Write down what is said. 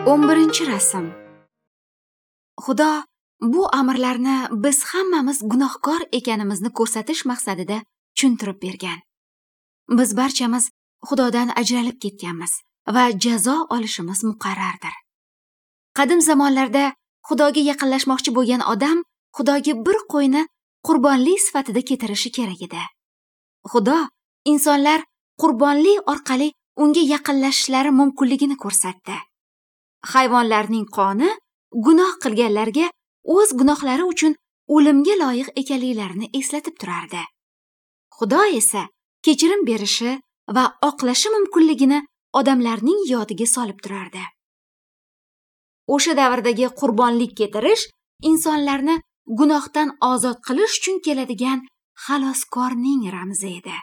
11-rasm. Xudo bu amrlarni biz hammamiz gunohkor ekanimizni ko'rsatish maqsadida tushuntirib bergan. Biz barchamiz Xudodan ajralib ketganmiz va jazo olishimiz muqarrardir. Qadim zamonlarda Xudoga yaqinlashmoqchi bo'lgan odam Xudoga bir qo'yni qurbonlik sifatida keltirishi kerak edi. Xudo insonlar qurbonlik orqali unga yaqinlashishlari mumkinligini ko'rsatdi. Hayvonlarning qoni gunoh qilganlarga o'z gunohlari uchun o'limga loyiq ekanliklarini eslatib turardi. Xudo esa kechirim berishi va oqlashi mumkinligini odamlarning yodiga solib turardi. O'sha davrdagi qurbonlik keltirish insonlarni gunohdan ozod qilish uchun keladigan xaloskorning ramzi edi.